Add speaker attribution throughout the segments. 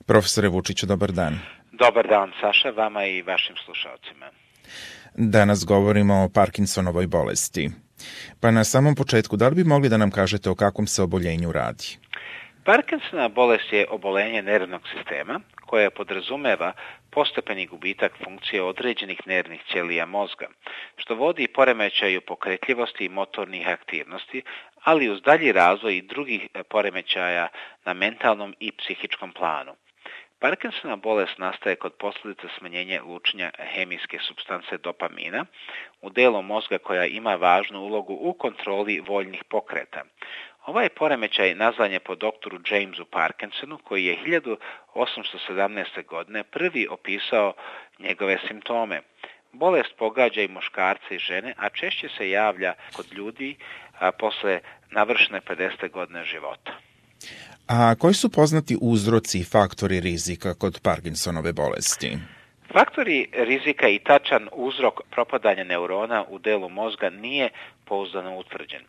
Speaker 1: Profesore Vučiću, dobar dan.
Speaker 2: Dobar dan, Saša, vama i vašim slušalcima.
Speaker 1: Danas govorimo o Parkinsonovoj bolesti. Pa na samom početku, da li bi mogli da nam kažete o kakvom se oboljenju radi?
Speaker 2: Parkinsonova bolest je oboljenje nervnog sistema koje podrazumeva postepeni gubitak funkcije određenih nervnih ćelija mozga, što vodi poremećaju pokretljivosti i motornih aktivnosti, ali uz dalji razvoj i drugih poremećaja na mentalnom i psihičkom planu. Parkinsonova bolest nastaje kod posljedica smanjenja lučenja hemijske supstance dopamina u delu mozga koja ima važnu ulogu u kontroli voljnih pokreta. Ovaj poremećaj nazvan je po doktoru Jamesu Parkinsonu, koji je 1817. godine prvi opisao njegove simptome. Bolest pogađa i muškarce i žene, a češće se javlja kod ljudi posle navršene 50. godine života.
Speaker 1: A koji su poznati uzroci i faktori rizika kod Parkinsonove bolesti?
Speaker 2: Faktori rizika i tačan uzrok propadanja neurona u delu mozga nije pouzdano utvrđen.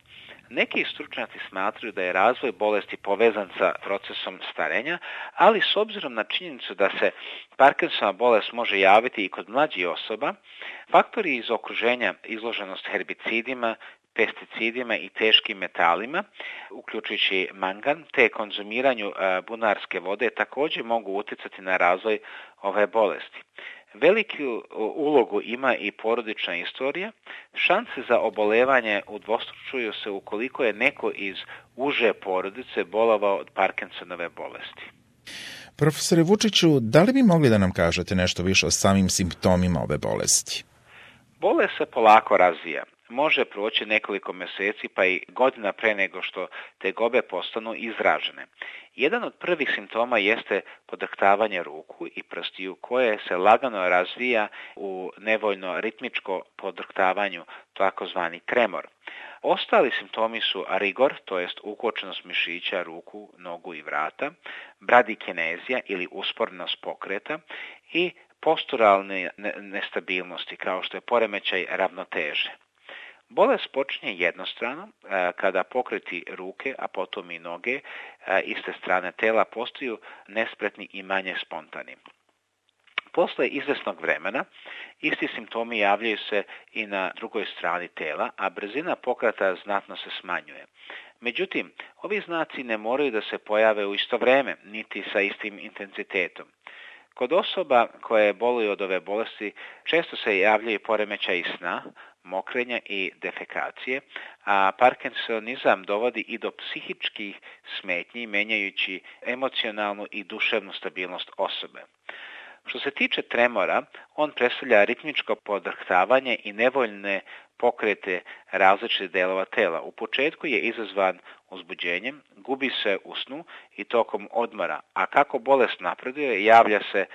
Speaker 2: Neki stručnjaci smatraju da je razvoj bolesti povezan sa procesom starenja, ali s obzirom na činjenicu da se Parkinsonova bolest može javiti i kod mlađih osoba, faktori iz okruženja, izloženost herbicidima, pesticidima i teškim metalima, uključujući mangan, te konzumiranju bunarske vode također mogu utjecati na razvoj ove bolesti. Veliku ulogu ima i porodična istorija. Šanse za obolevanje udvostručuju se ukoliko je neko iz uže porodice bolovao od Parkinsonove bolesti.
Speaker 1: Profesore Vučiću, da li bi mogli da nam kažete nešto više o samim simptomima ove bolesti?
Speaker 2: Bolest se polako razvija. Može proći nekoliko mjeseci pa i godina pre nego što tegobe postanu izražene. Jedan od prvih simptoma jeste podrhtavanje ruku i prstiju koje se lagano razvija u nevoljno ritmičko podrhtavanju, takozvani tremor. Ostali simptomi su rigor, to jest ukočenost mišića ruku, nogu i vrata, bradikinezija ili usporenost pokreta i posturalne nestabilnosti kao što je poremećaj ravnoteže. Bolest počinje jednostrano kada pokreti ruke, a potom i noge iste strane tela postaju nespretni i manje spontani. Posle izvesnog vremena isti simptomi javljaju se i na drugoj strani tela, a brzina pokreta znatno se smanjuje. Međutim, ovi znaci ne moraju da se pojave u isto vreme, niti sa istim intenzitetom. Kod osoba koje boluju od ove bolesti često se javljaju poremećaji sna, mokrenja i defekacije, a parkinsonizam dovodi i do psihičkih smetnji, menjajući emocionalnu i duševnu stabilnost osobe. Što se tiče tremora, on predstavlja ritmičko podrhtavanje i nevoljne pokrete različitih delova tela. U početku je izazvan uzbuđenjem, gubi se u snu i tokom odmora, a kako bolest napreduje, javlja se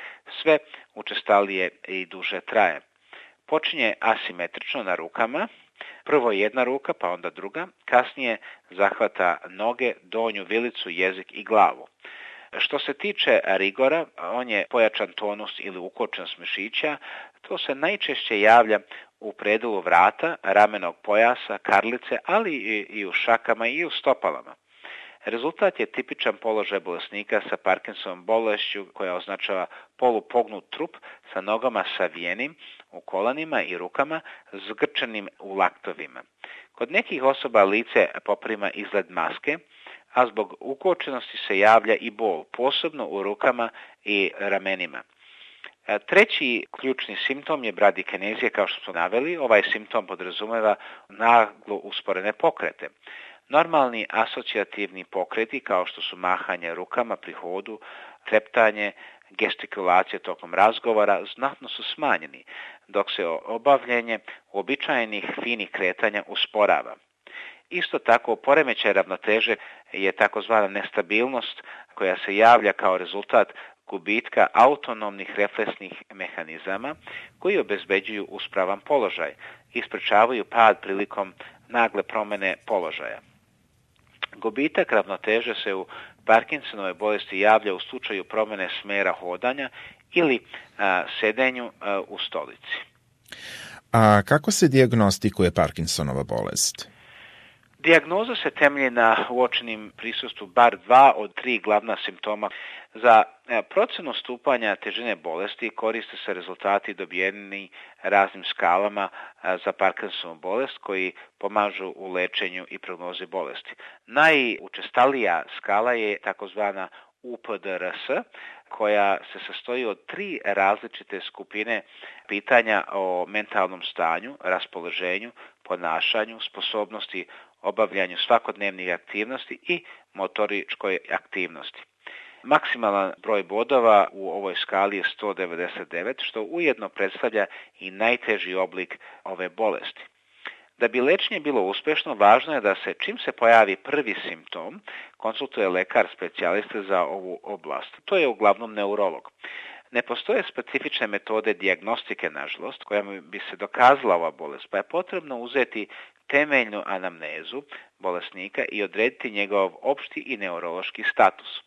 Speaker 2: sve učestalije i duže traje. Počinje asimetrično na rukama, prvo jedna ruka pa onda druga, kasnije zahvata noge, donju vilicu, jezik i glavu. Što se tiče rigora, on je pojačan tonus ili ukočenost mišića, to se najčešće javlja u predelu vrata, ramenog pojasa, karlice, ali i u šakama i u stopalama. Rezultat je tipičan položaj bolesnika sa Parkinsovom bolešću koja označava polupognut trup sa nogama savijenim u kolanima i rukama zgrčenim u laktovima. Kod nekih osoba lice poprima izgled maske, a zbog ukočenosti se javlja i bol, posebno u rukama i ramenima. Treći ključni simptom je bradikinezija, kao što smo naveli. Ovaj simptom podrazumeva naglo usporene pokrete. Normalni asocijativni pokreti, kao što su mahanje rukama pri hodu, treptanje, gestikulacija tokom razgovora, znatno su smanjeni, dok se obavljanje uobičajenih finih kretanja usporava. Isto tako, poremećaj ravnoteže je takozvana nestabilnost koja se javlja kao rezultat gubitka autonomnih refleksnih mehanizama koji obezbeđuju uspravan položaj i sprečavaju pad prilikom nagle promjene položaja. Gubitak ravnoteže se u Parkinsonove bolesti javlja u slučaju promjene smjera hodanja ili sedenju u stolici.
Speaker 1: A kako se dijagnostikuje Parkinsonova bolest?
Speaker 2: Dijagnoza se temelji na uočenim prisustvu bar 2 od 3 glavna simptoma. Za procenu stupanja težine bolesti koriste se rezultati dobijeni raznim skalama za Parkinsovu bolest koji pomažu u lečenju i prognozi bolesti. Najučestalija skala je takozvana UPDRS, koja se sastoji od 3 različite skupine pitanja o mentalnom stanju, raspoloženju, ponašanju, sposobnosti, obavljanju svakodnevnih aktivnosti i motoričkoj aktivnosti. Maksimalan broj bodova u ovoj skali je 199, što ujedno predstavlja i najteži oblik ove bolesti. Da bi lečenje bilo uspešno, važno je da se, čim se pojavi prvi simptom, konsultuje lekar specijalista za ovu oblast. To je uglavnom neurolog. Ne postoje specifične metode dijagnostike, nažalost, kojima bi se dokazala ova bolest, pa je potrebno uzeti temeljnu anamnezu bolesnika i odrediti njegov opšti i neurološki status.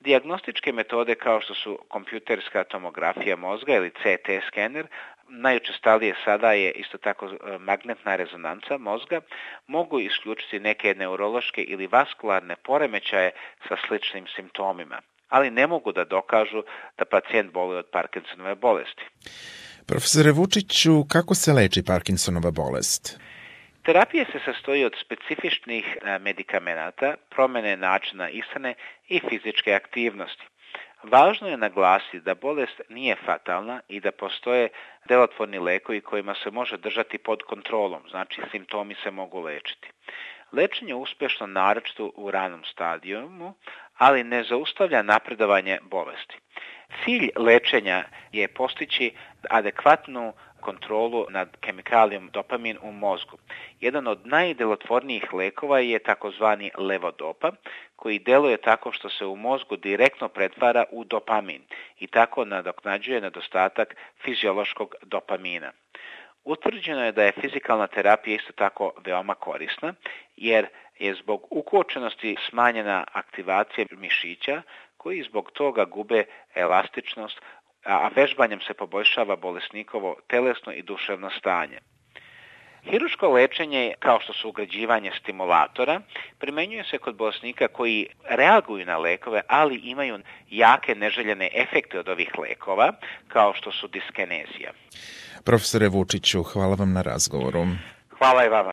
Speaker 2: Dijagnostičke metode kao što su kompjuterska tomografija mozga ili CT skener, najučestalije sada je isto tako magnetna rezonanca mozga, mogu isključiti neke neurološke ili vaskularne poremećaje sa sličnim simptomima, ali ne mogu da dokažu da pacijent boluje od Parkinsonove bolesti.
Speaker 1: Profesore Vučiću, kako se leči Parkinsonova bolest?
Speaker 2: Terapija se sastoji od specifičnih medikamenata, promene načina ishrane i fizičke aktivnosti. Važno je naglasiti da bolest nije fatalna i da postoje delotvorni lekovi kojima se može držati pod kontrolom, znači simptomi se mogu lečiti. Lečenje je uspešno naročito u ranom stadijumu, ali ne zaustavlja napredovanje bolesti. Cilj lečenja je postići adekvatnu kontrolu nad kemikalijom dopamin u mozgu. Jedan od najdelotvornijih lekova je takozvani levodopa, koji deluje tako što se u mozgu direktno pretvara u dopamin i tako nadoknađuje nedostatak fiziološkog dopamina. Utvrđeno je da je fizikalna terapija isto tako veoma korisna, jer je zbog ukočenosti smanjena aktivacija mišića, koji zbog toga gube elastičnost, a vežbanjem se poboljšava bolesnikovo telesno i duševno stanje. Hiruško lečenje, kao što su ugrađivanje stimulatora, primenjuje se kod bolesnika koji reaguju na lekove, ali imaju jake neželjene efekte od ovih lekova, kao što su diskinezija.
Speaker 1: Profesore Vučiću, hvala vam na razgovoru.
Speaker 2: Hvala i vama.